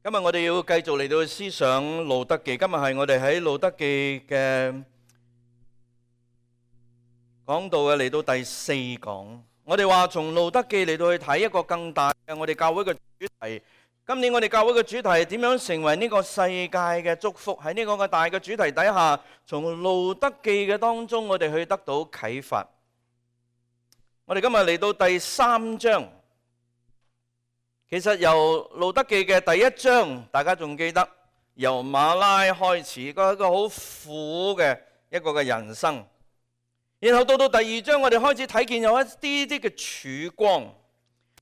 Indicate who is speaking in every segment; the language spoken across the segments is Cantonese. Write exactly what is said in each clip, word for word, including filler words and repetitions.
Speaker 1: 今日我哋要繼續嚟到思想路德記。今日係我哋喺路德記嘅講道嘅嚟到第四講。我哋話從路德記嚟到去睇一個更大嘅我哋教會嘅主題。今年我哋教會嘅主題係點樣成為呢個世界嘅祝福？喺呢個嘅大嘅主題底下，從路德記嘅當中，我哋去得到啟發。我哋今日嚟到第三章。其實由路德記嘅第一章，大家仲記得由馬拉開始，一個一個好苦嘅一個嘅人生。然後到到第二章，我哋開始睇見有一啲啲嘅曙光。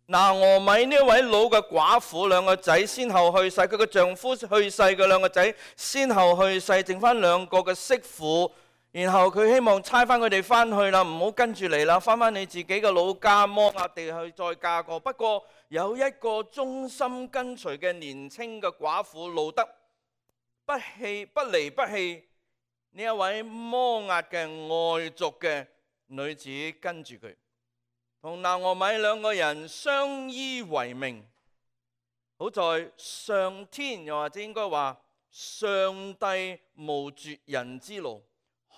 Speaker 1: 拿俄米呢位老嘅寡婦，兩個仔先後去世，佢嘅丈夫去世嘅兩個仔先後去世，剩翻兩個嘅媳婦。然後佢希望差翻佢哋翻去啦，唔好跟住嚟啦，翻翻你自己嘅老家摩押地去再嫁過。不過有一個忠心跟隨嘅年輕嘅寡婦路德，不棄不離不棄呢一位摩押嘅外族嘅女子，跟住佢，同拿俄米兩個人相依為命。好在上天，又或者應該話上帝無絕人之路，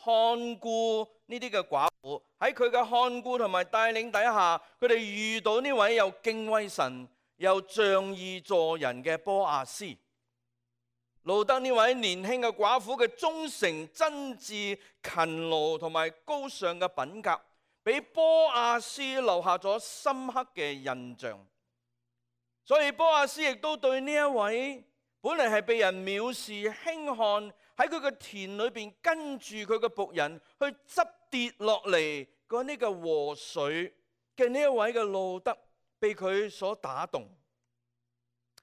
Speaker 1: 看顧呢啲嘅寡婦，喺佢嘅看顧同埋帶領底下，佢哋遇到呢位又敬畏神又仗義助人嘅波亞斯。路德呢位年輕嘅寡婦嘅忠誠、真摯、勤勞同埋高尚嘅品格，俾波亞斯留下咗深刻嘅印象。所以波亞斯亦都對呢一位本嚟係被人藐視輕看，喺佢嘅田裏邊跟住佢嘅僕人去執跌落嚟嗰呢個禾穗嘅呢一位嘅路德，被佢所打動，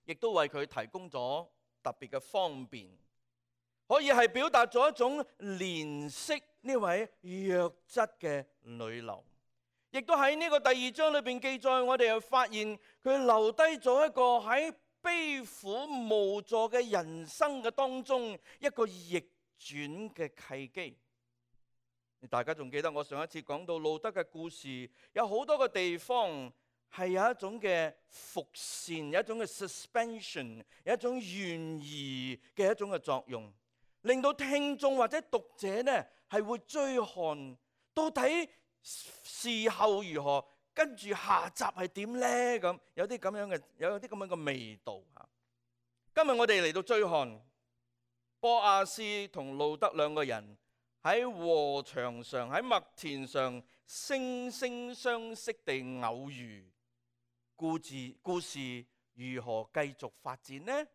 Speaker 1: 亦都為佢提供咗特別嘅方便，可以係表達咗一種憐惜呢位弱質嘅女流。亦都喺呢個第二章裏邊記載，我哋又發現佢留低咗一個喺悲苦無助嘅人生嘅當中一個逆轉嘅契機。大家仲記得我上一次講到路德嘅故事，有好多個地方係有一種嘅伏線，有一種嘅 suspension， 有一種懸疑嘅一種嘅作用，令到聽眾或者讀者呢係會追看到底事後如何，跟住下集係點呢？咁有啲咁樣嘅，有啲咁樣嘅味道吓。今日我哋嚟到追看波亞斯同路德兩個人喺禾場上，喺麥田上惺惺相惜地偶遇。故事故事如何繼續發展呢？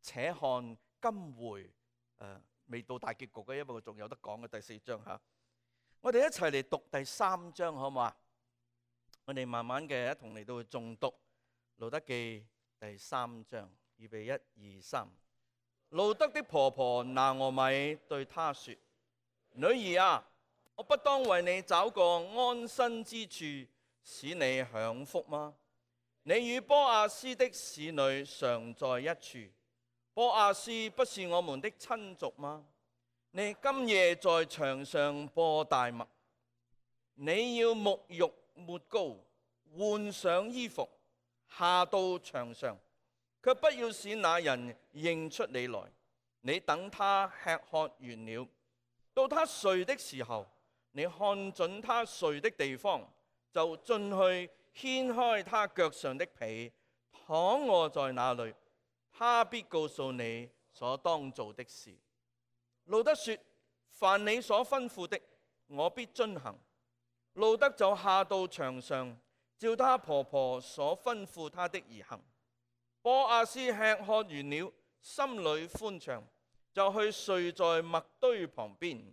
Speaker 1: 且看今回誒、呃、未到大結局嘅，因為仲有得講嘅第四章吓。我哋一齊嚟讀第三章好唔好啊？我哋慢慢嘅一同嚟到去誦讀路德記第三章，預備一二三。路德的婆婆拿俄米對她說：女兒啊，我不當為你找個安身之處，使你享福嗎？你與波亞斯的使女常在一處，波亞斯不是我們的親族嗎？你今夜在場上播大麥，你要沐浴抹膏，換上衣服，下到場上，卻不要使那人認出你來。你等他吃喝完了，到他睡的時候，你看準他睡的地方，就進去掀開他腳上的被，躺臥在那裏，他必告訴你所當做的事。路德說：凡你所吩咐的，我必遵行。路德就下到場上，照他婆婆所吩咐他的而行。波亞斯吃喝完了，心裏歡暢，就去睡在麥堆旁邊。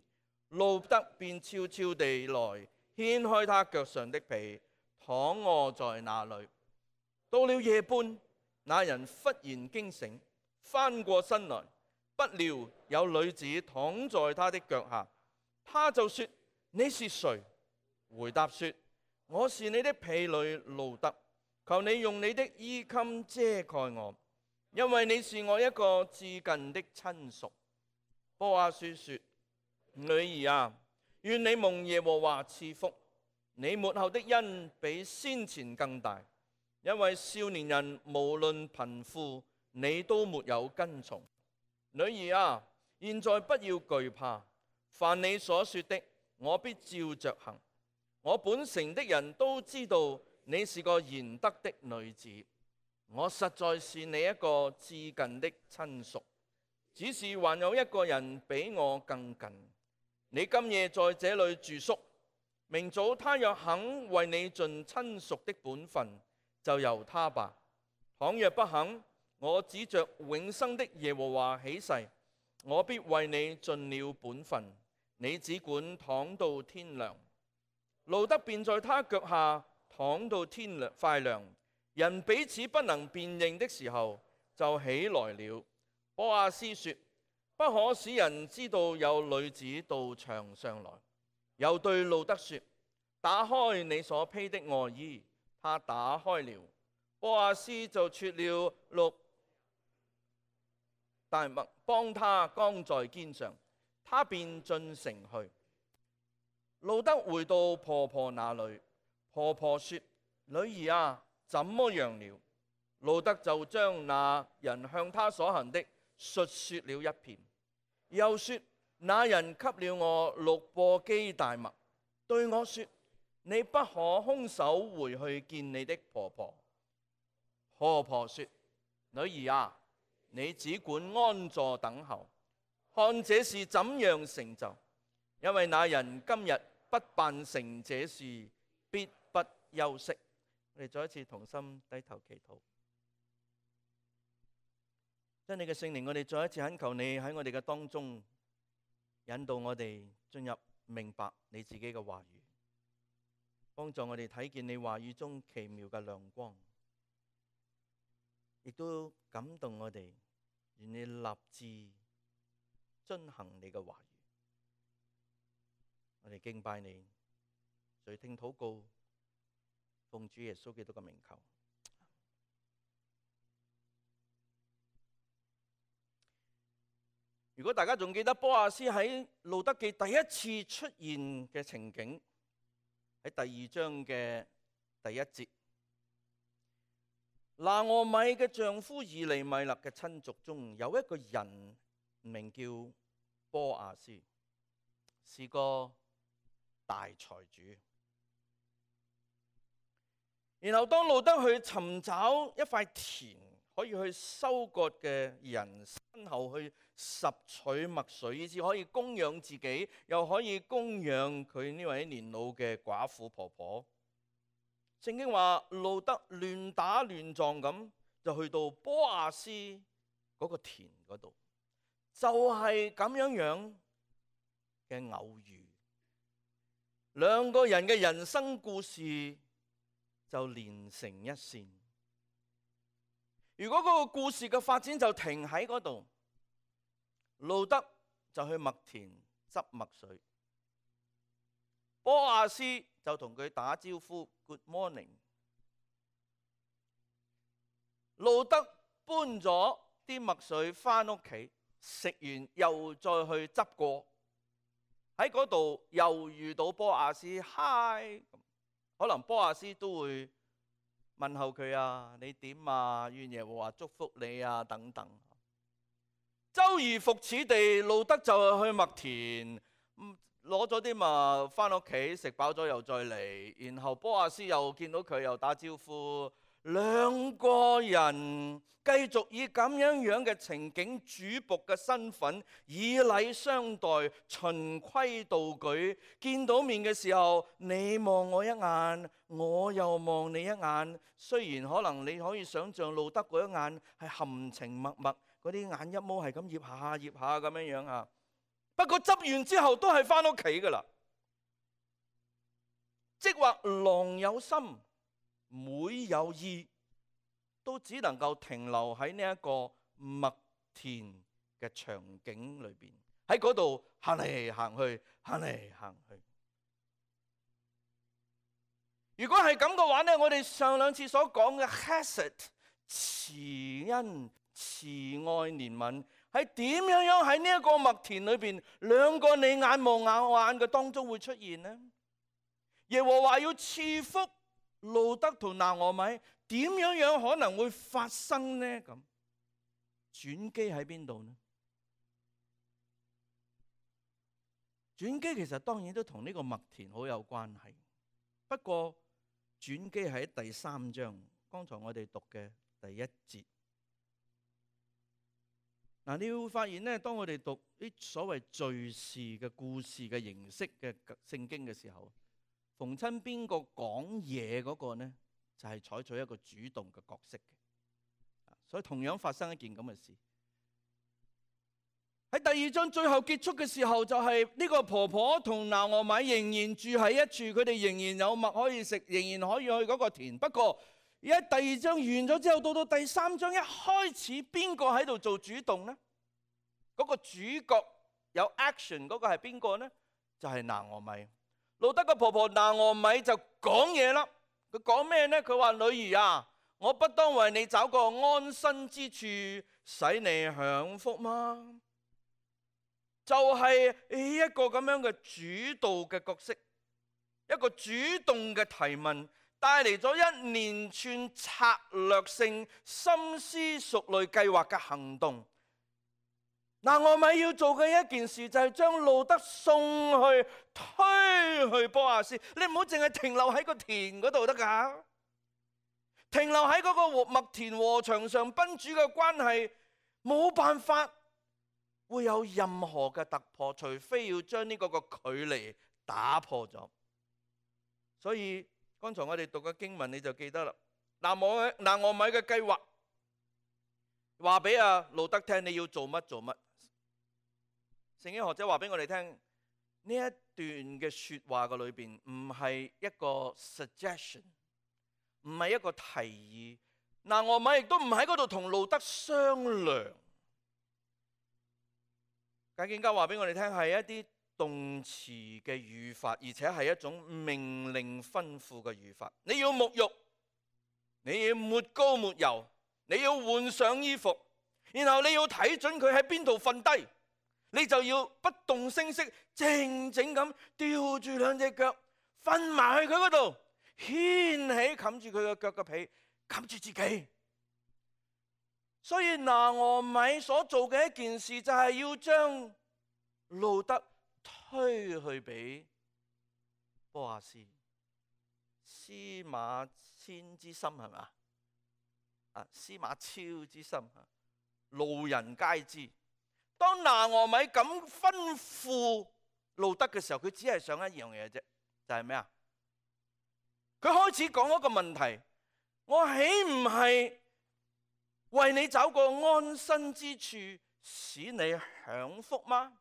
Speaker 1: 路德便悄悄地來，掀開他腳上的被，躺臥在那裏。到了夜半，那人忽然驚醒，翻過身來，不料有女子躺在他的腳下，他就說：你是誰？回答說：我是你的婢女路德，求你用你的衣襟遮蓋我，因為你是我一個至近的親屬。波亞斯說：女兒啊，願你蒙耶和華賜福，你末後的恩比先前更大，因為少年人無論貧富，你都沒有跟從。女兒啊，現在不要懼怕，凡你所說的，我必照着行。我本城的人都知道你是個賢德的女子，我實在是你一個至近的親屬，只是還有一個人比我更近。你今夜在這裏住宿，明早他若肯為你盡親屬的本分，就由他吧。倘若不肯，我指着永生的耶和華起誓，我必為你盡了本分，你只管躺到天亮。路得便在他腳下躺到天亮快亮，人彼此不能辨認的時候，就起來了。波阿斯說：不可使人知道有女子到場上來。又對路得說：打開你所披的外衣。他打開了，波阿斯就取了六大麥，幫他扛在肩上，他便進城去。路得回到婆婆那裏，婆婆說：女兒啊，怎麼樣了？路得就將那人向他所行的述說了一遍，又說：那人給了我六簸箕大麥，對我說：你不可空手回去見你的婆婆。婆婆說：女兒啊，你只管安坐等候，看這事怎樣成就。因為那人今日不辦成這事，必不休息。我哋再一次同心低頭祈禱。將你嘅聖靈，我哋再一次懇求你喺我哋嘅當中引導我哋進入明白你自己嘅話語，幫助我哋睇見你話語中奇妙嘅亮光，亦都感動我哋，願你立志遵行你嘅話語。我哋敬拜你，垂聽禱告，奉主耶穌基督嘅名求。如果大家仲記得波阿斯喺路得記第一次出現嘅情景，喺第二章嘅第一節，拿俄米嘅丈夫以利米勒嘅親族中有一個人名叫波阿斯，是個大財主。然後當路得去尋找一塊田可以去收割嘅人身後去拾取麥穗，以至可以供養自己，又可以供養佢呢位年老嘅寡婦婆婆。聖經話路得亂打亂撞咁就去到波阿斯嗰個田嗰度，就係咁樣樣嘅偶遇。兩個人嘅人生故事就連成一線。如果嗰個故事嘅發展就停喺嗰度，路得就去麥田執麥穗，波阿斯就同佢打招呼 Good morning。路得搬咗啲麥穗返屋企，食完又再去執過。喺嗰度又遇到波阿斯，嗨，可能波阿斯都會問候佢啊，你點啊？願耶和華祝福你啊，等等。周而復始地，路得就去麥田，攞咗啲麥返屋企，食飽咗又再嚟。然後波阿斯又見到佢，又打招呼。兩個人繼續以咁樣樣嘅情景，主僕嘅身份，以禮相待，循規蹈矩。見到面嘅時候，你望我一眼，我又望你一眼。雖然可能你可以想象路得嗰一眼係含情脈脈，嗰啲眼一毛係咁醃下醃下咁樣樣啊。不過執完之後都係返屋企噶啦。即或郎有心，妹有意，都只能夠停留喺呢一個麥田嘅場景裏邊，喺嗰度行嚟行去，行嚟行去。如果係咁嘅話呢，我哋上兩次所講嘅 Chesed 慈恩、慈愛、憐憫，係點樣樣喺呢一個麥田裏邊，兩個你眼望眼眼嘅當中會出現呢？耶和華要賜福路得同拿俄米，點樣樣可能會發生呢？咁轉機喺邊度呢？轉機其實當然都同呢個麥田好有關係，不過轉機喺第三章，剛才我哋讀嘅第一節。嗱，你會發現咧，當我哋讀啲所謂敘事嘅故事嘅形式嘅聖經嘅時候，逢親邊個講嘢嗰個呢，就係採取一個主動嘅角色嘅。所以同樣發生一件咁嘅事。喺第二章最後結束嘅時候，就係呢個婆婆同拿俄米仍然住喺一處，佢哋仍然有麥可以食，仍然可以去嗰個田。不過而家第二章完咗之後，到到第三章一開始，邊個喺度做主動呢？嗰個主角有 action 嗰個係邊個呢？就係拿俄米。路得嘅婆婆拿俄米就講嘢啦。佢講咩呢？佢話：女兒啊，我不當為你找個安身之處，使你享福嗎？就係一個咁樣嘅主導嘅角色，一個主動嘅提問，帶嚟咗一連串策略性、深思熟慮計劃嘅行動。拿俄米要做嘅一件事就係將路得送去推去波亞斯。你唔好淨係停留喺個田嗰度得㗎，停留喺嗰個麥田禾場上，賓主嘅關係冇辦法會有任何嘅突破，除非要將呢個個距離打破咗。所以剛才我哋讀嘅經文你就記得啦。拿俄拿俄米嘅計劃話俾阿路得聽，你要做乜做乜。聖經學者話俾我哋聽，呢一段嘅說話嘅裏邊唔係一個 suggestion， 唔係一個提議。拿俄米亦都唔喺嗰度同路得商量。解經家話俾我哋聽，係一啲動詞嘅語法，而且係一種命令吩咐嘅語法。你要沐浴，你要抹膏抹油，你要換上衣服，然後你要睇準佢喺邊度瞓低，你就要不動聲色，靜靜咁吊住兩隻腳，瞓埋去佢嗰度，掀起冚住佢嘅腳嘅被，冚住自己。所以拿俄米所做嘅一件事就係要將路得推去俾波亞斯。司馬遷之心係嘛？啊，司馬昭之心，路人皆知。當拿俄米咁吩咐路得嘅時候，佢只係想一樣嘢啫，就係咩啊？佢開始講一個問題：我豈唔係為你找個安身之處，使你享福嗎？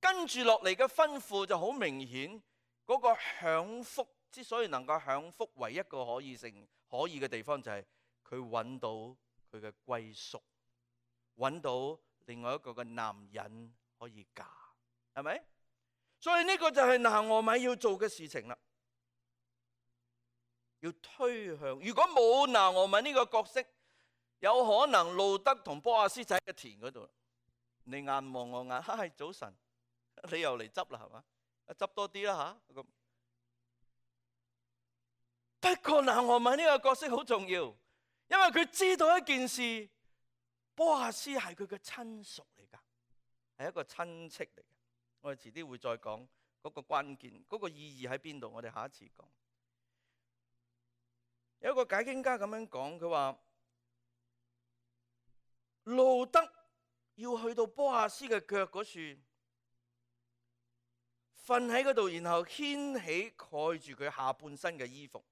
Speaker 1: 跟住落嚟嘅吩咐就好明顯，嗰個享福之所以能夠享福，唯一個可以性可以嘅地方就係佢揾到佢嘅歸宿，揾到另外一個嘅男人可以嫁，係咪？所以呢個就係拿俄米要做嘅事情啦，要推向。如果冇拿俄米呢個角色，有可能路得同波亞斯就喺個田嗰度，你眼望我眼，嗨，早晨，你又嚟執啦，係嘛？執多啲啦吓。咁不過拿俄米呢個角色好重要，因為佢知道一件事，波亞斯係佢嘅親屬嚟噶，係一個親戚嚟嘅。我哋遲啲會再講嗰個關鍵，嗰個意義喺邊度，我哋下一次講。有一個解經家咁樣講，佢話路得要去到波亞斯嘅腳嗰處，瞓喺嗰度，然後掀起蓋住佢下半身嘅衣服。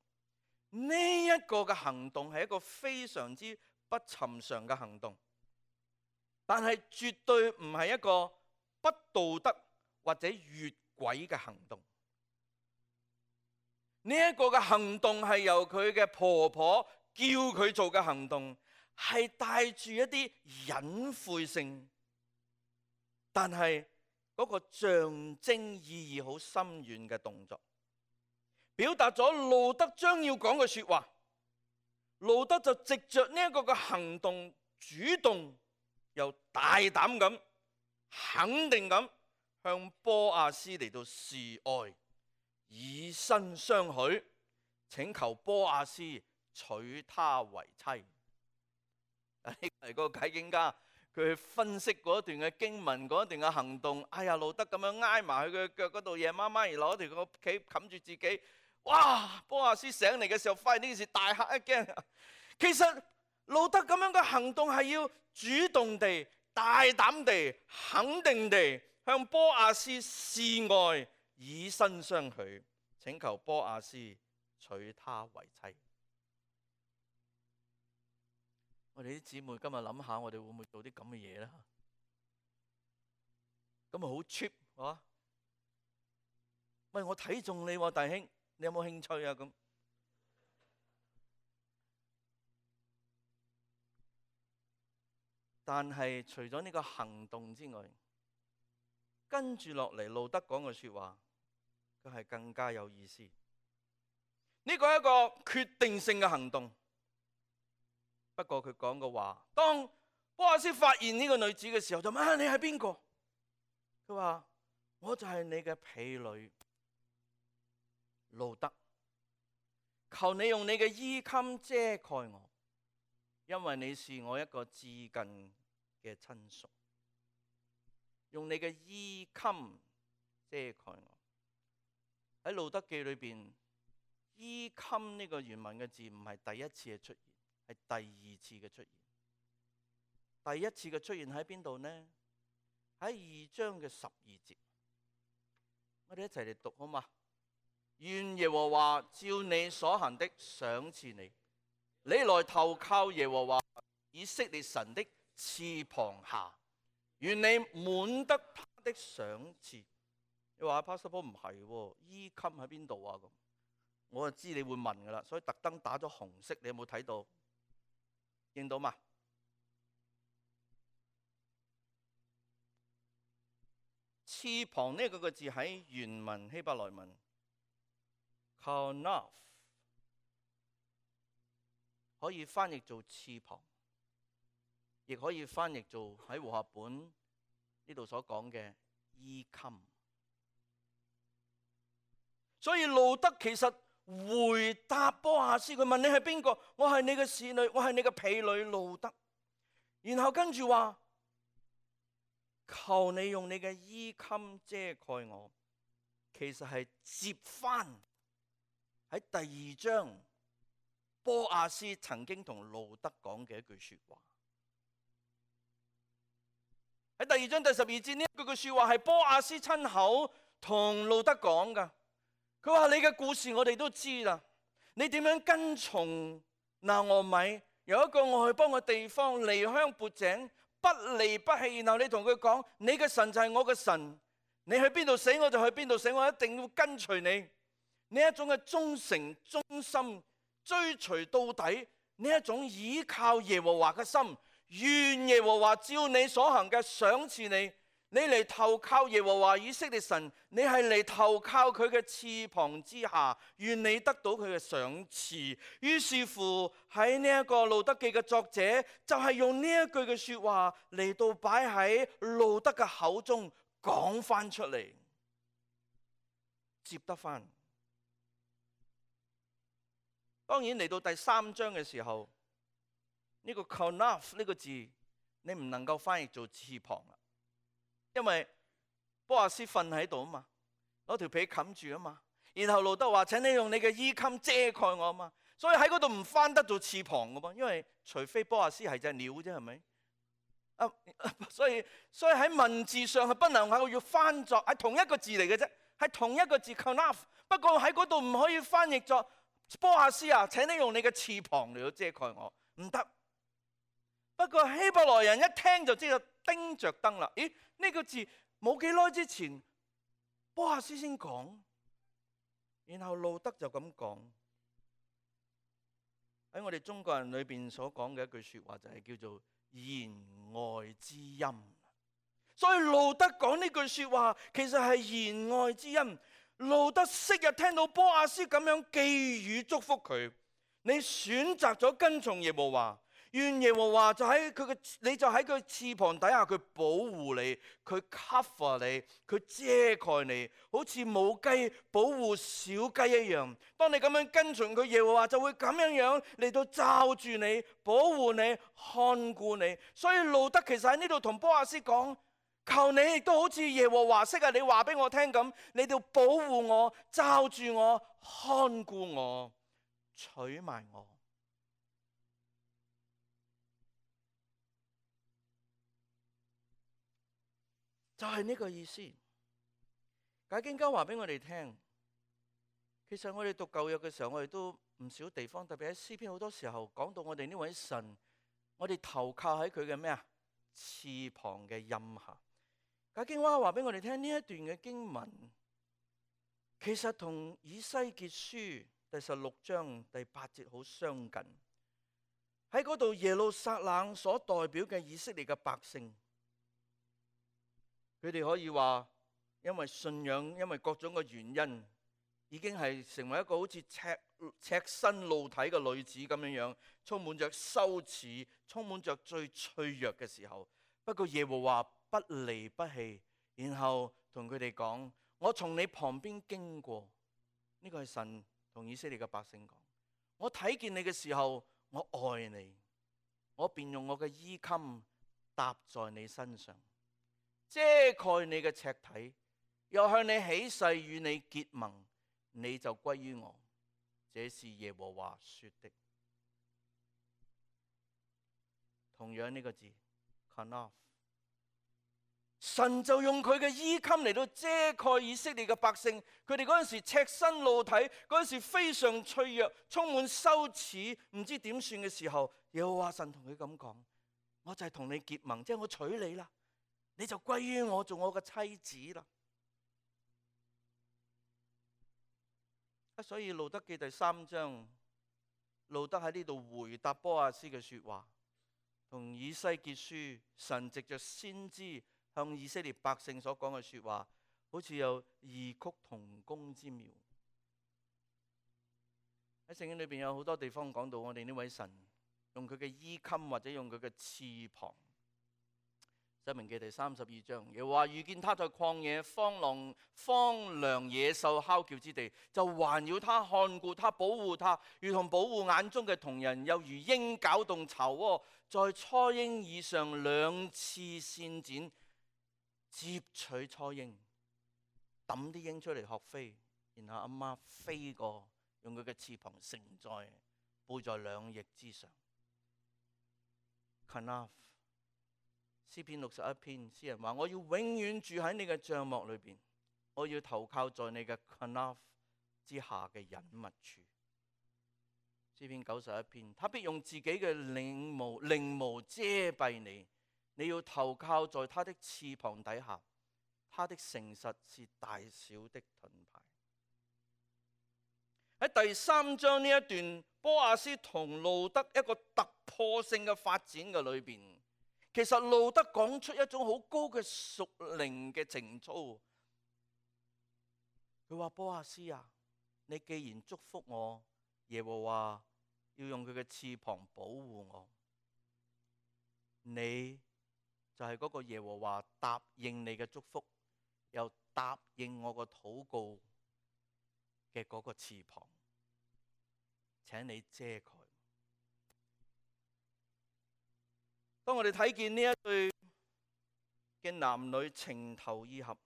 Speaker 1: 呢一個嘅行動係一個非常之不尋常嘅行動，但係絕對唔係一個不道德或者越軌嘅行動。呢一個嘅行動係由佢嘅婆婆叫佢做嘅行動，係帶住一啲隱晦性，但係嗰個象徵意義好深遠嘅動作，表達咗路得將要講嘅說話。路得就藉着呢一個嘅行動，主動又大膽咁、肯定咁向波亞斯嚟到示愛，以身相許，請求波亞斯娶她為妻。呢個係個解經家，佢去分析嗰段嘅經文，嗰段嘅行動。哎呀，路德咁樣挨埋佢嘅腳嗰度，夜媽媽而攞條個被冚住自己。哇！波亞斯醒嚟嘅時候，發現呢件事，大嚇一驚。其實路德咁樣嘅行動係要主動地、大膽地、肯定地向波亞斯示愛，以身相許，請求波亞斯娶她為妻。我哋啲姊妹今日諗下，我哋會唔會做啲咁嘅嘢咧？咁咪好 cheap 啊！喂，我睇中你喎，弟兄，你有冇興趣啊？咁但係除咗呢個行動之外，跟住落嚟路德講嘅說話，佢係更加有意思。呢個係一個決定性嘅行動。不過佢講嘅話，當波亞斯發現呢個女子嘅時候，就問啊，你係邊個？佢話我就係你嘅婢女路德，求你用你嘅衣襟遮蓋我，因為你是我一個至近嘅親屬。用你嘅衣襟遮蓋我。喺路德記裏邊，衣襟呢個原文嘅字唔係第一次嘅出現，係第二次嘅出現。第一次嘅出現喺邊度呢？喺二章嘅十二節，我哋一齊嚟讀好嘛？願耶和華照你所行的賞賜你，你來投靠耶和華以色列神的翅膀下，願你滿得他的賞賜。你話 Pastor Paul 唔係喎，衣襟喺邊度啊？咁我就知你會問噶啦，所以特登打咗紅色，你有冇睇到？認到嘛？翅膀呢個個字喺原文希伯來文 Kanaf 可以翻譯做翅膀，亦可以翻譯做喺和合本呢度所講嘅衣襟。所以路德其實回答波亞斯，佢問你係邊個？我係你嘅侍女，我係你嘅婢女路德。然後跟住話，求你用你嘅衣襟遮蓋我。其實係接翻喺第二章波亞斯曾經同路德講嘅一句說話。喺第二章第十二節呢一句句說話係波亞斯親口同路德講噶。佢話，你嘅故事我哋都知啦，你點樣跟從拿俄米由一個外邦嘅地方離鄉背井，不離不棄。然後你同佢講，你嘅神就係我嘅神，你去邊度死我就去邊度死，我一定要跟隨你。呢一種嘅忠誠忠心追隨到底，呢一種倚靠耶和華嘅心，願耶和華照你所行嘅賞賜你。你嚟投靠耶和華以色列神，你係嚟投靠佢嘅翅膀之下，願你得到佢嘅賞賜。於是乎喺呢一個路德記嘅作者就係用呢一句嘅說話嚟到擺喺路德嘅口中講翻出嚟，接得翻。當然嚟到第三章嘅時候，呢個 kanaf 呢個字你唔能夠翻譯做翅膀啦。因為波亞斯瞓喺度啊嘛，攞條被冚住啊嘛，然後路德話，請你用你嘅衣襟遮蓋我啊嘛，所以喺嗰度唔翻得做翅膀噶噃，因為除非波亞斯係隻鳥啫，係咪？啊，所以所以喺文字上係不能夠要翻作係同一個字嚟嘅啫，係同一個字 kanaf， 不過喺嗰度唔可以翻譯作波亞斯啊，請你用你嘅翅膀嚟到遮蓋我，唔得。不過希伯來人一聽就知道叮着燈啦。咦？呢個字冇幾耐之前波亞斯先講，然後路德就咁講。喺我哋中國人裏邊所講嘅一句說話就係叫做言外之音。所以路德講呢句說話其實係言外之音。路德昔日聽到波亞斯咁樣寄語祝福佢，你選擇咗跟從耶和華，願耶和華就喺佢嘅，你就喺佢翅膀底下，佢保護你，佢 cover 你，佢遮蓋你，好似母雞保護小雞一樣。當你咁樣跟隨佢，耶和華就會咁樣樣嚟到罩住你，保護你，看顧你。所以路得其實喺呢度同波阿斯講，求你亦都好似耶和華式啊，你話俾我聽咁，你哋保護我，罩住我，看顧我，娶埋我。就係呢個意思。解經家話俾我哋聽，其實我哋讀舊約嘅時候，我哋都唔少地方，特別喺詩篇好多時候講到我哋呢位神，我哋投靠喺佢嘅咩啊？翅膀嘅蔭下。解經家話俾我哋聽，呢一段嘅經文，其實同以西結書第十六章第八節好相近。喺嗰度耶路撒冷所代表嘅以色列嘅百姓，佢哋可以話，因為信仰，因為各種嘅原因，已經係成為一個好似赤赤身露體嘅女子咁樣樣，充滿着羞恥，充滿着最脆弱嘅時候。不過耶和華不離不棄，然後同佢哋講：我從你旁邊經過。呢個係神同以色列嘅百姓講。我睇見你嘅時候，我愛你，我便用我嘅衣襟搭在你身上，遮蓋你嘅赤體，又向你起誓與你結盟，你就歸於我。這是耶和華說的。同樣呢個字 Kanaf， 神就用佢嘅衣襟嚟到遮蓋以色列嘅百姓。佢哋嗰陣時赤身露體，嗰陣時非常脆弱，充滿羞恥，唔知點算嘅時候，耶和華神同佢咁講：我就係同你結盟，即係我娶你啦，你就歸於我，做我嘅妻子啦。所以路得記第三章，路得喺呢度回答波阿斯嘅說話，同以西結書神藉着先知向以色列百姓所講嘅說話，好似有異曲同工之妙。喺聖經裏邊有好多地方講到我哋呢位神用佢嘅衣襟或者用佢嘅翅膀。申命記第三十二章，又話遇見他在曠野荒涼荒涼野獸哮叫之地，就環繞他，看顧他，保護他，如同保護眼中嘅瞳人，又如鷹攪動巢窩，在雛鷹以上兩翅搧展，接取雛鷹，抌啲鷹出嚟學飛，然後阿媽飛過，用佢嘅翅膀承載，背在兩翼之上。Kanaf，詩篇六十一篇，詩人話：我要永遠住喺你嘅帳幕裏邊，我要投靠在你嘅 Kanaf 之下嘅隱密處。詩篇九十一篇，他必用自己嘅翎毛翎毛遮蔽你，你要投靠在他的翅膀底下，他的誠實是大小的盾牌。喺第三章呢一段，波阿斯同路得一個突破性嘅發展嘅裏邊，其實路得講出一種好高嘅屬靈嘅情操。佢話：波阿斯啊，你既然祝福我，耶和華要用佢嘅翅膀保護我，你就係嗰個耶和華答應你嘅祝福，又答應我個禱告嘅嗰個翅膀，請你遮蓋。當我哋睇見呢一對嘅男女情投意合，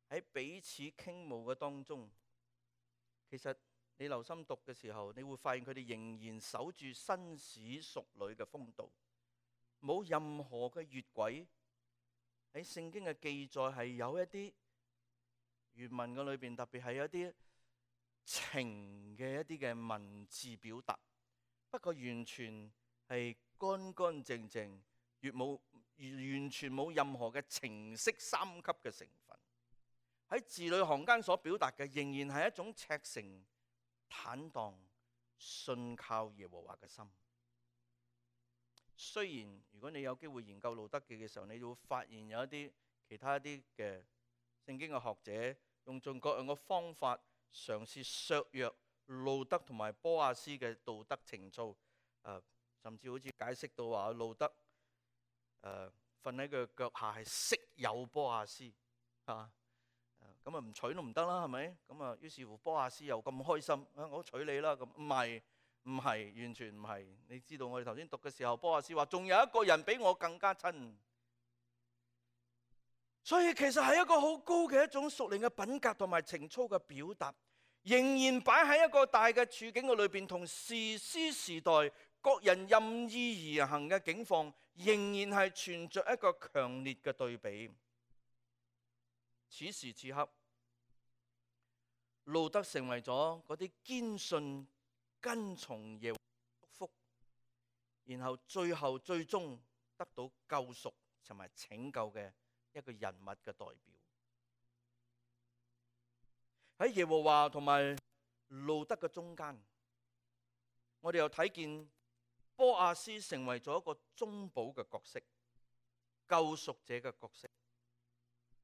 Speaker 1: 喺彼此傾慕嘅當中，其實你留心讀嘅時候，你會發現佢哋仍然守住紳士淑女嘅風度，冇任何嘅越軌。喺聖經嘅記載係有一啲原文嘅裏邊，特別係有一啲情嘅一啲嘅文字表達，不過完全係乾乾淨淨，越冇完全冇任何嘅情色三級嘅成分。喺字裏行間所表達嘅，仍然係一種赤誠、坦蕩、信靠耶和華嘅心。雖然如果你有機會研究路得記嘅時候，你會發現有一啲其他一啲嘅聖經嘅學者用盡各樣嘅方法嘗試削弱路得同埋波阿斯嘅道德情操，誒，甚至好似解釋到話路德誒瞓喺佢腳下係色誘波亞斯啊，咁啊唔娶都唔得啦，係咪？咁啊於是乎波亞斯又咁開心，啊我娶你啦，咁唔係唔係完全唔係。你知道我哋頭先讀嘅時候，波亞斯話仲有一個人比我更加親，所以其實係一個好高嘅一種屬靈嘅品格同埋情操嘅表達，仍然擺喺一個大嘅處境嘅裏邊，同士師時代各人任意而行嘅境況，仍然係存着一個強烈嘅對比。此時此刻，路德成為咗嗰啲堅信跟從耶和華祝福，然後最後最終得到救贖同埋拯救嘅一個人物嘅代表。喺耶和華同埋路德嘅中間，我哋又睇見波亞斯成為咗一個中保嘅角色，救贖者嘅角色，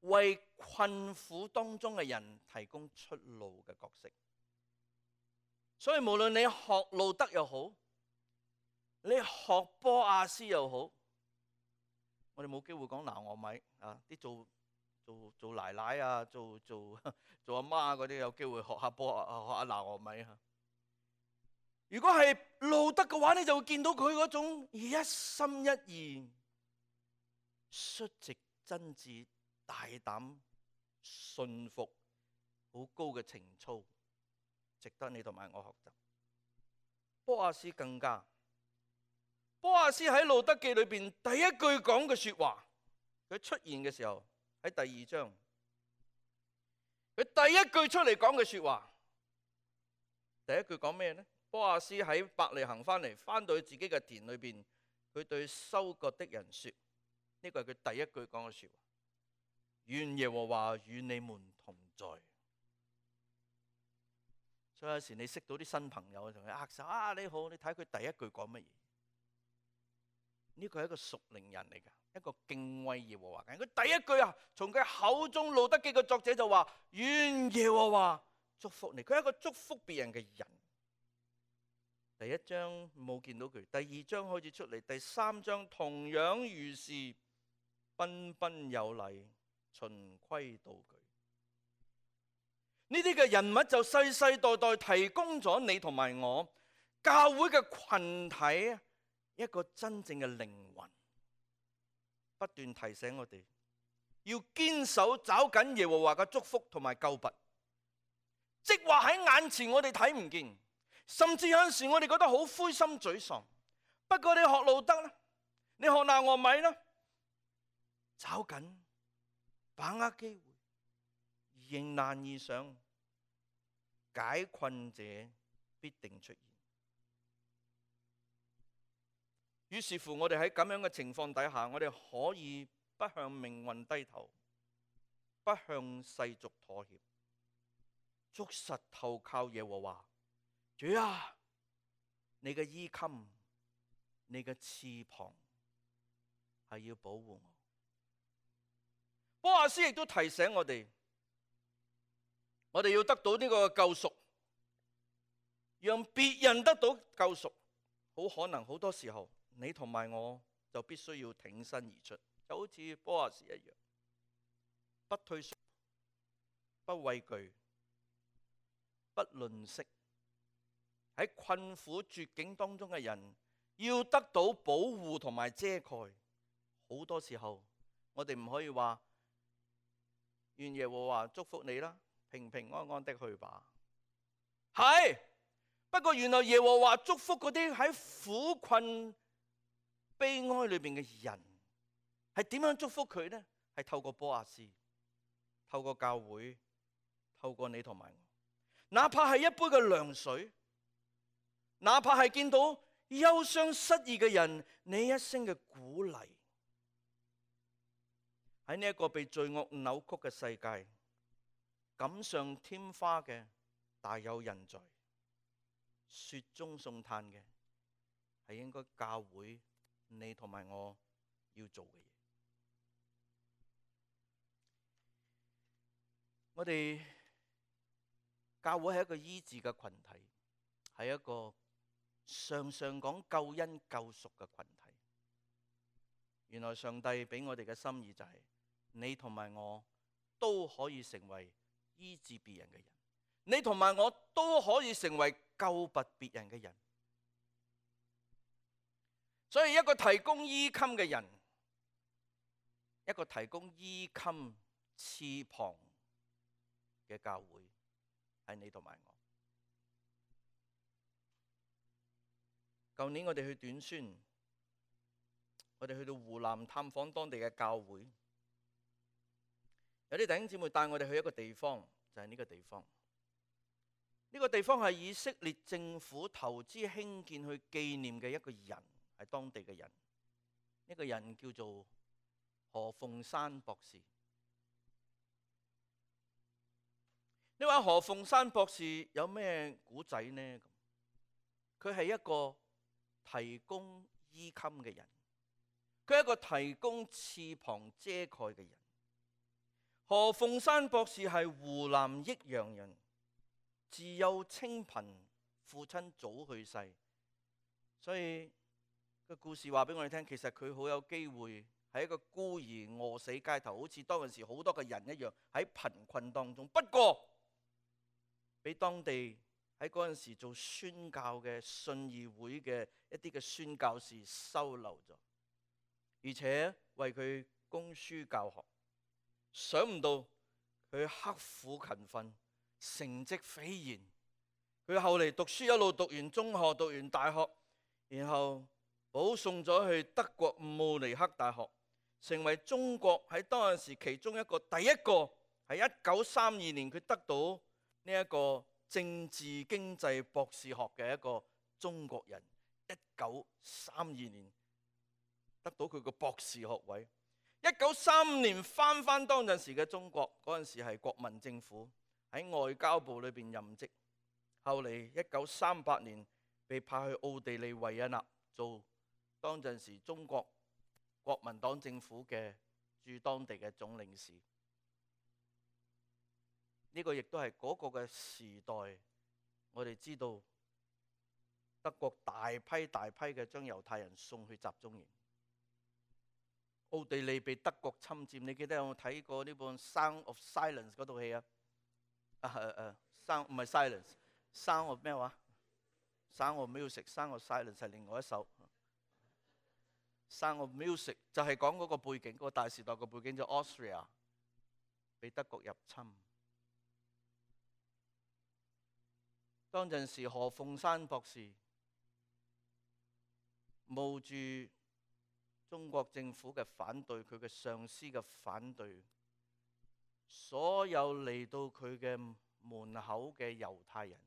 Speaker 1: 為困苦當中嘅人提供出路嘅角色。所以無論你學路德又好，你學波亞斯又好，我哋冇機會講拿俄米啊，啲做做做奶奶啊，做做做阿媽嗰啲有機會學下波學下拿俄米啊。如果係路德嘅話，你就會見到佢嗰種一心一意、率直真摯、大膽、信服、好高嘅情操，值得你同埋我學習。波亞斯更加，波亞斯喺路德記裏邊第一句講嘅說話，佢出現嘅時候喺第二章，佢第一句出嚟講嘅說話，第一句講咩呢？波亞斯喺伯利恆翻嚟，翻到去自己嘅田裏邊，佢對收割的人說，呢個係佢第一句講嘅說話，願耶和華與你們同在。所以有時你識到啲新朋友，同佢握手啊，你好，你睇佢第一句講乜嘢？呢個係一個屬靈人嚟噶，一個敬畏耶和華嘅人。佢第一句啊，從佢口中路德記嘅作者就話，願耶和華祝福你。佢係一個祝福別人嘅人。第一章冇見到佢，第二章開始出嚟，第三章同樣如是，彬彬有禮，循規蹈矩。呢啲嘅人物就世世代代提供咗你同埋我教會嘅群體一個真正嘅靈魂，不斷提醒我哋要堅守找緊耶和華嘅祝福同埋救拔，即話喺眼前我哋睇唔見，甚至有陣時我哋覺得好灰心沮喪。不過你學路德啦，你學拿俄米啦，找緊，把握機會，迎難而上，解困者必定出現。於是乎，我哋喺咁樣嘅情況底下，我哋可以不向命運低頭，不向世俗妥協，捉實投靠耶和華。主啊，你嘅衣襟，你嘅翅膀係要保護我。波亞斯亦都提醒我哋，我哋要得到呢個救贖，讓別人得到救贖，好可能好多時候你同埋我就必須要挺身而出，就好似波亞斯一樣，不退縮，不畏懼，不吝嗇。喺困苦絕境當中嘅人要得到保護同埋遮蓋，好多時候我哋唔可以話願耶和華祝福你啦，平平安安的去吧。係，不過原來耶和華祝福嗰啲喺苦困悲哀裏邊嘅人，係點樣祝福佢呢？係透過波亞斯，透過教會，透過你同埋我，哪怕係一杯嘅涼水，哪怕係見到憂傷失意嘅人，你一聲嘅鼓勵。喺呢一個被罪惡扭曲嘅世界，錦上添花嘅大有人在，雪中送炭嘅係應該教會你同埋我要做嘅嘢。我哋教會係一個醫治嘅群體，係一個常常講救恩救贖嘅群體。原來上帝俾我哋嘅心意就係，你同埋我都可以成為醫治別人嘅人，你同埋我都可以成為救拔別人嘅人。所以一個提供衣襟嘅人，一個提供衣襟翅膀嘅教會，係你同埋我。舊年我哋去短宣，我哋去到湖南探訪當地嘅教會，有啲弟兄姊妹帶我哋去一個地方，就係呢個地方。呢個地方係以色列政府投資興建去紀念嘅一個人，係當地嘅人。呢個人叫做何鳳山博士。你話何鳳山博士有咩古仔呢？佢係一個提供衣襟嘅人，佢係一個提供翅膀遮蓋嘅人。何鳳山博士係湖南益陽人，自幼清貧，父親早去世，所以個故事話俾我哋聽，其實佢好有機會係一個孤兒餓死街頭，好似當陣時好多嘅人一樣喺貧困當中。不過俾當地喺嗰陣時做宣教嘅信義會嘅一啲嘅宣教士收留咗，而且為佢供書教學。想唔到佢刻苦勤奮，成績斐然。佢後嚟讀書一路讀完中學，讀完大學，然後保送咗去德國慕尼黑大學，成為中國喺當陣時其中一個第一個喺一九三二年佢得到呢一個政治經濟博士學嘅一個中國人。一九三二年得到佢個博士學位。一九三五年翻翻當陣時嘅中國，嗰陣時係國民政府，喺外交部裏邊任職。後嚟一九三八年被派去奧地利維也納做當陣時中國國民黨政府嘅駐當地嘅總領事。呢個亦都係嗰個嘅時代，我哋知道德國大批大批嘅將猶太人送去集中營。奧地利被德國侵佔，你記得有冇睇過呢本《Sound of Silence》嗰套戲啊？啊誒誒，Sound 唔係 Silence，Sound of 咩話？Sound of Music，Sound of Silence 係另外一首。Sound of Music 就係講嗰個背景，嗰個大時代嘅背景就 Austria 被德國入侵。當陣時何鳳山博士冒住中國政府嘅反對，佢嘅上司嘅反對，所有嚟到佢嘅門口嘅猶太人，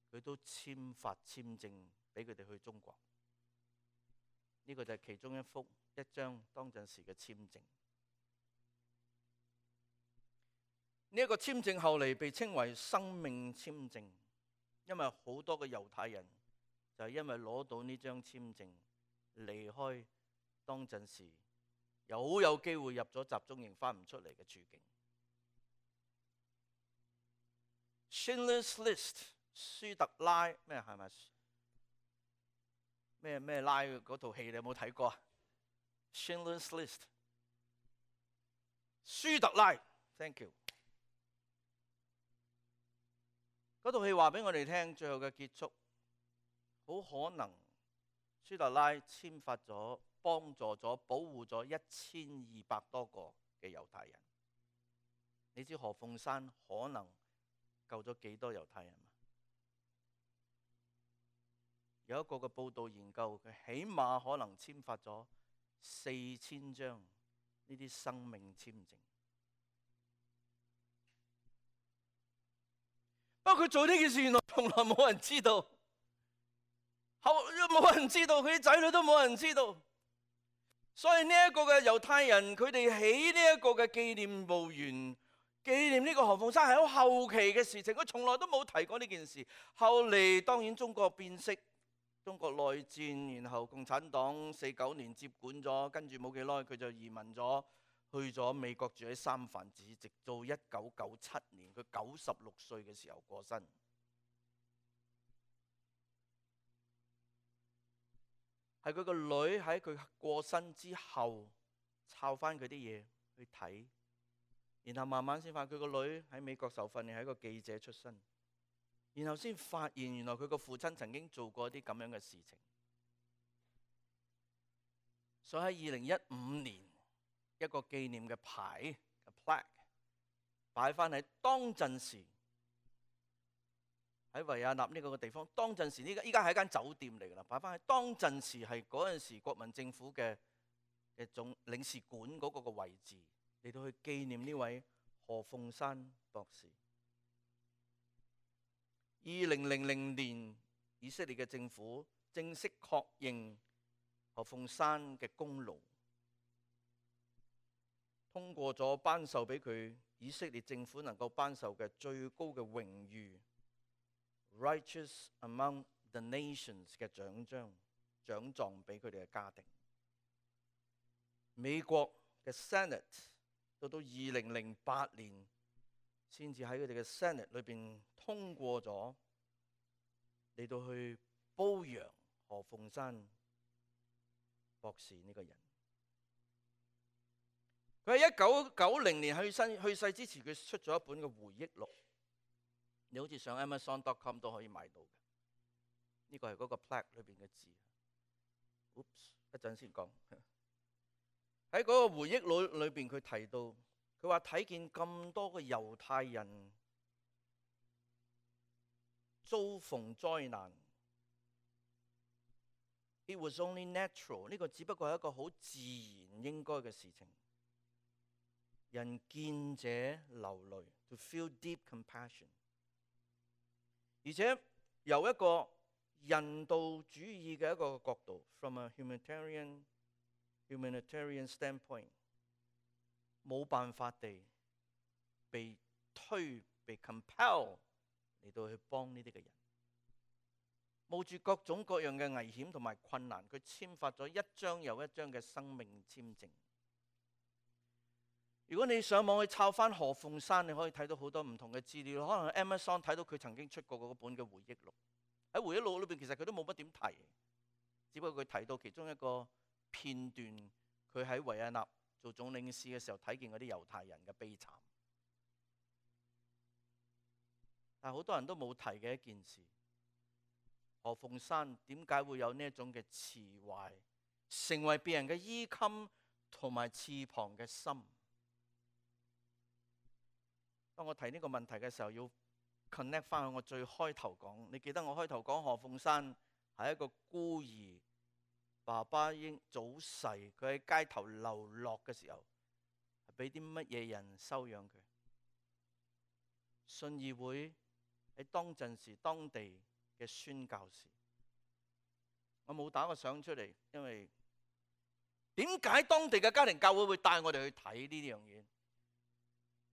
Speaker 1: 佢都簽發簽證俾佢哋去中國。呢個就係其中一幅一張當陣時嘅簽證。呢一個簽證後嚟被稱為生命簽證，因為好多嘅猶太人就係因為攞到呢張簽證離開當陣時又好有機會入咗集中營翻唔出嚟嘅處境。Schindler's List， 舒特拉咩係咪咩咩拉嗰套戲你有冇睇過啊？ Schindler's List， 舒特拉 ，thank you。嗰套戲話俾我哋聽，最後嘅結束好可能舒特拉簽發咗，幫助咗，保護咗一千二百多個嘅猶太人。你知何鳳山可能救咗幾多猶太人嗎？有一個嘅報道研究，佢起碼可能簽發咗四千張呢啲生命簽證。不過佢做呢件事，原來從來冇人知道，後冇人知道，佢啲仔女都冇人知道。所以呢一個嘅猶太人，佢哋起呢一個嘅紀念墓園，紀念呢個何鳳山係好後期嘅事情，佢從來都冇提過呢件事。後嚟當然中國變色，中國內戰，然後共產黨四九年接管咗，跟住冇幾耐佢就移民咗，去咗美國住喺三藩市，直到一九九七年佢九十六歲嘅時候過身。係佢個女喺佢過身之後抄翻佢啲嘢去睇，然後慢慢先發現佢個女喺美國受訓練，係一個記者出身，然後先發現原來佢個父親曾經做過一啲咁樣嘅事情。所以喺二零一五年，一個紀念嘅牌嘅 plaque 擺翻喺當陣時喺維也納呢個地方。當陣時呢個依家係一間酒店嚟㗎啦，擺翻喺當陣時係嗰陣時國民政府嘅嘅總領事館嗰個嘅位置，嚟到去紀念呢位何鳳山博士。二零零零年，以色列嘅政府正式確認何鳳山嘅功勞，通過咗頒授俾佢以色列政府能夠頒授嘅最高嘅榮譽 Righteous Among the Nations 嘅獎章獎狀俾佢哋嘅家庭。美國嘅 Senate 到到二零零八年先至喺佢哋嘅 Senate 裏邊通過咗嚟到去褒揚何鳳山博士呢個人。佢喺一九九零年去世去世之前，佢出咗一本嘅回憶錄，你好似上 Amazon dot com 都可以買到嘅。呢個係嗰個 plaque 裏邊嘅字。Oops， 一陣先講。喺嗰個回憶錄裏邊，佢提到，佢話睇見咁多嘅猶太人遭逢災難。It was only natural， 呢個只不過係一個好自然應該嘅事情。人見者流淚 ，to feel deep compassion。而且由一個人道主義嘅一個角度 ，from a humanitarian humanitarian standpoint， 冇辦法地被推被 compel 嚟到去幫呢啲嘅人。冒住各種各樣嘅危險同埋困難，佢簽發咗一張又一張嘅生命簽證。如果你上網去抄翻何鳳山，你可以睇到好多唔同嘅資料。可能喺 Amazon 睇到佢曾經出過嗰本嘅回憶錄。喺回憶錄裏邊，其實佢都冇乜點提，只不過佢提到其中一個片段，佢喺維也納做總領事嘅時候睇見嗰啲猶太人嘅悲慘。但係好多人都冇提嘅一件事。何鳳山點解會有呢一種嘅慈懷，成為別人嘅衣襟同埋翅膀嘅心？當我提呢個問題嘅時候，要 connect 翻去我最開頭講。你記得我開頭講何鳳山係一個孤兒，爸爸已經早逝，佢喺街頭流落嘅時候，係俾啲乜嘢人收養佢？信義會喺當陣時當地嘅宣教士，我冇打個相出嚟，因為點解當地嘅家庭教會會帶我哋去睇呢樣嘢？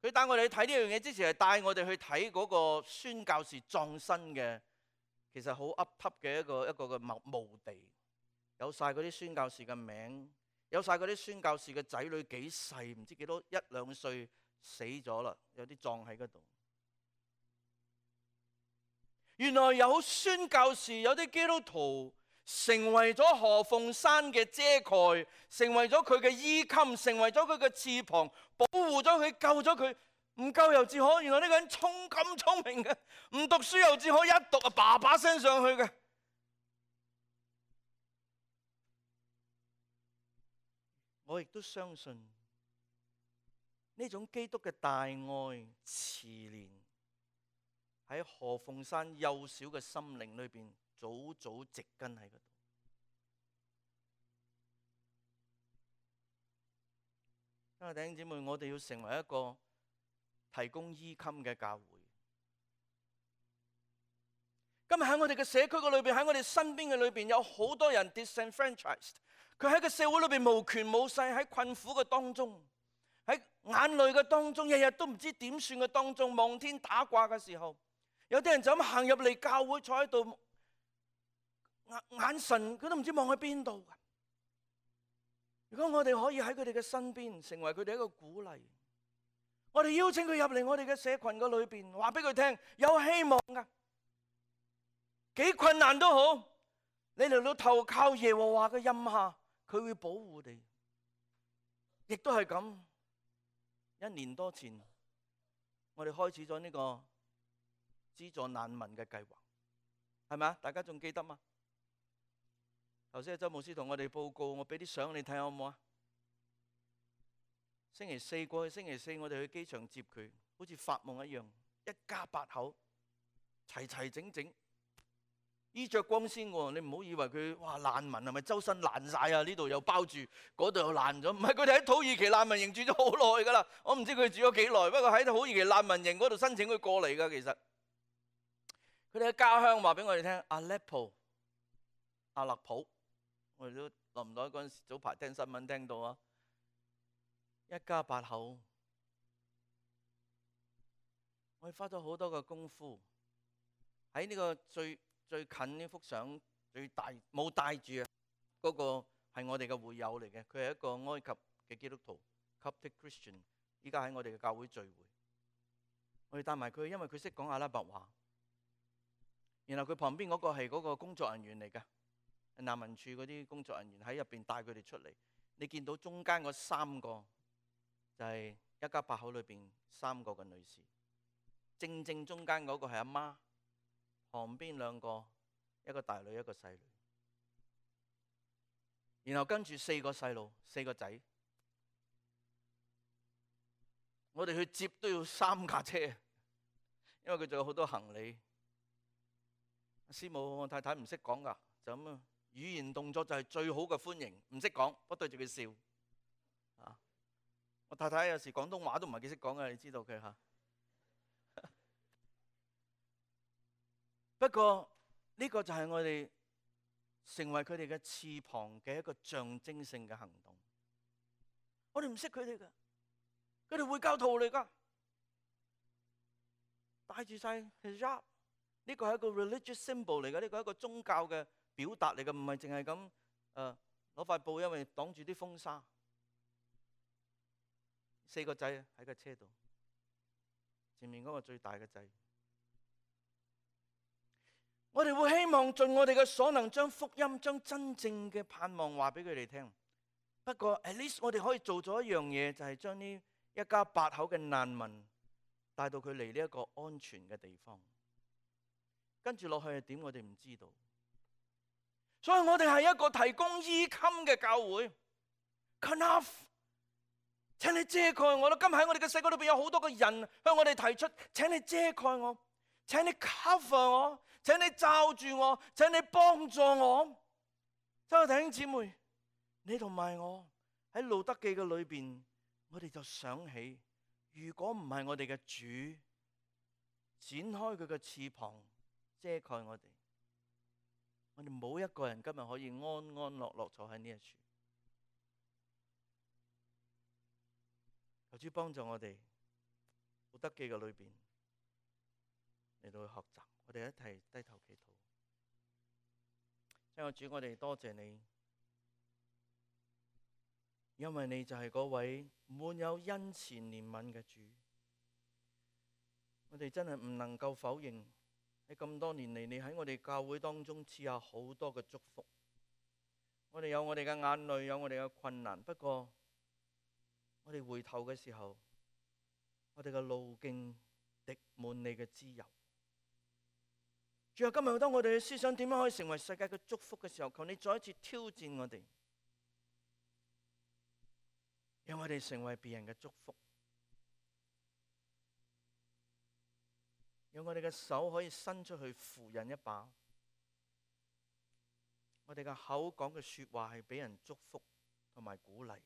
Speaker 1: 佢帶我哋去睇呢樣嘢之前，係帶我哋去睇嗰個宣教士葬身嘅，其實好凹凸嘅一個一個嘅墓地，有晒嗰啲宣教士嘅名，有晒嗰啲宣教士嘅仔女幾細，唔知幾多一兩歲死咗啦，有啲葬喺嗰度。原來有宣教士，有啲基督徒成為咗何鳳山嘅遮蓋，成為咗佢嘅衣襟，成為咗佢嘅翅膀，保護咗佢，救咗佢。唔夠又至可，原來呢個人聰咁聰明嘅，唔讀書又至可，一讀啊叭叭聲上去嘅。我亦都相信呢種基督嘅大愛慈憐，喺何鳳山幼小嘅心靈裏邊，早早植根喺嗰度。因為弟兄姊妹，我哋要成為一個提供衣襟嘅教會。今日喺我哋嘅社區嘅裏邊，喺我哋身邊嘅裏邊，有好多人 disenfranchised， 佢喺個社會裏邊無權無勢，喺困苦嘅當中，喺眼淚嘅當中，日日都唔知點算嘅當中，望天打卦嘅時候。有啲人就咁行入嚟教會，坐喺度，眼眼神佢都唔知望去邊度。如果我哋可以喺佢哋嘅身邊，成為佢哋一個鼓勵，我哋邀請佢入嚟我哋嘅社群嘅裏邊，話俾佢聽有希望噶，幾困難都好，你嚟到投靠耶和華嘅蔭下，佢會保護你。亦都係咁，一年多前，我哋開始咗呢個資助難民嘅計劃，係咪啊？大家仲記得嗎？頭先周牧師同我哋報告，我俾啲相你睇下好唔好啊？星期四過去，星期四我哋去機場接佢，好似發夢一樣，一家八口齊齊整整，衣着光鮮喎。你唔好以為佢哇難民係咪周身爛晒啊？呢度又包住，嗰度又爛咗。唔係，佢哋喺土耳其難民營住咗好耐噶啦。我唔知佢住咗幾耐，不過喺土耳其難民營嗰度申請佢過嚟噶。其實佢哋嘅家鄉話俾我哋聽，阿勒普、阿勒普，我哋都諗唔到嗰陣時早排聽新聞聽到啊，一家八口，我哋花咗好多嘅功夫喺呢個最最近呢幅相最大冇帶住啊，嗰個係我哋嘅會友嚟嘅，佢係一個埃及嘅基督徒 Coptic Christian， 依家喺我哋嘅教會聚會，我哋帶埋佢，因為佢識講阿拉伯話。然後佢旁邊嗰個係嗰個工作人員嚟㗎，難民處嗰啲工作人員喺入邊帶佢哋出嚟。你見到中間嗰三個就係一家八口裏邊三個嘅女士，正正中間嗰個係阿媽，旁邊兩個一個大女一個細女，然後跟住四個細路四個仔。我哋去接都要三架車，因為佢仲有好多行李。師母，我太太唔識講噶，就咁啊，語言動作就係最好嘅歡迎，唔識講，我對住佢笑。啊，我太太有時廣東話都唔係幾識講嘅，你知道佢吓。不過呢個就係我哋成為佢哋嘅翅膀嘅一個象徵性嘅行動。我哋唔識佢哋噶，佢哋會教徒嚟噶，帶住晒 hijab。呢個係一個 religious symbol 嚟嘅，呢個係一個宗教嘅表達嚟嘅，唔係淨係咁誒攞塊布，因為擋住啲風沙。四個仔喺個車度，前面嗰個最大嘅仔。我哋會希望盡我哋嘅所能，將福音、將真正嘅盼望話俾佢哋聽。不過 at least 我哋可以做咗一樣嘢，就係將呢一家八口嘅難民帶到佢嚟呢一個安全嘅地方。跟住落去係點，我哋唔知道。所以我哋係一個提供衣襟嘅教會。Enough， 請你遮蓋我啦！今日喺我哋嘅社區裏邊有好多個人向我哋提出，請你遮蓋我，請你 cover 我，請你罩住我，請你幫助我。親愛弟兄姊妹，你同埋我喺路德記嘅裏邊，我哋就想起，如果唔係我哋嘅主展開佢嘅翅膀，遮蓋我哋，我哋冇一個人今日可以安安樂樂坐喺呢一處。求主幫助我哋，路德記嘅裏邊嚟到去學習，我哋一齊低頭祈禱。親愛的主，我哋多謝你，因為你就係嗰位滿有恩慈憐憫嘅主。我哋真係唔能夠否認。喺咁多年嚟，你喺我哋教會當中賜下好多嘅祝福。我哋有我哋嘅眼淚，有我哋嘅困難。不過，我哋回頭嘅時候，我哋嘅路徑滴滿你嘅滋油。主啊，今日當我哋嘅思想點樣可以成為世界嘅祝福嘅時候，求你再一次挑戰我哋，讓我哋成為別人嘅祝福。讓我哋嘅手可以伸出去扶人一把，我哋嘅口講嘅說話係俾人祝福同埋鼓勵。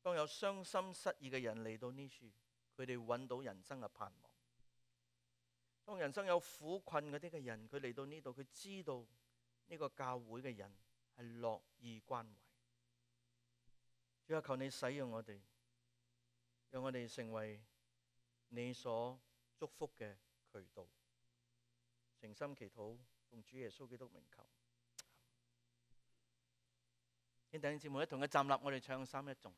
Speaker 1: 當有傷心失意嘅人嚟到呢處，佢哋揾到人生嘅盼望。當人生有苦困嗰啲嘅人，佢嚟到呢度，佢知道呢個教會嘅人係樂意關懷。主啊，求你使用我哋，讓我哋成為你所祝福嘅渠道。誠心祈禱，奉主耶穌基督名求。請弟兄姊妹一同嘅站立，我哋唱三一頌。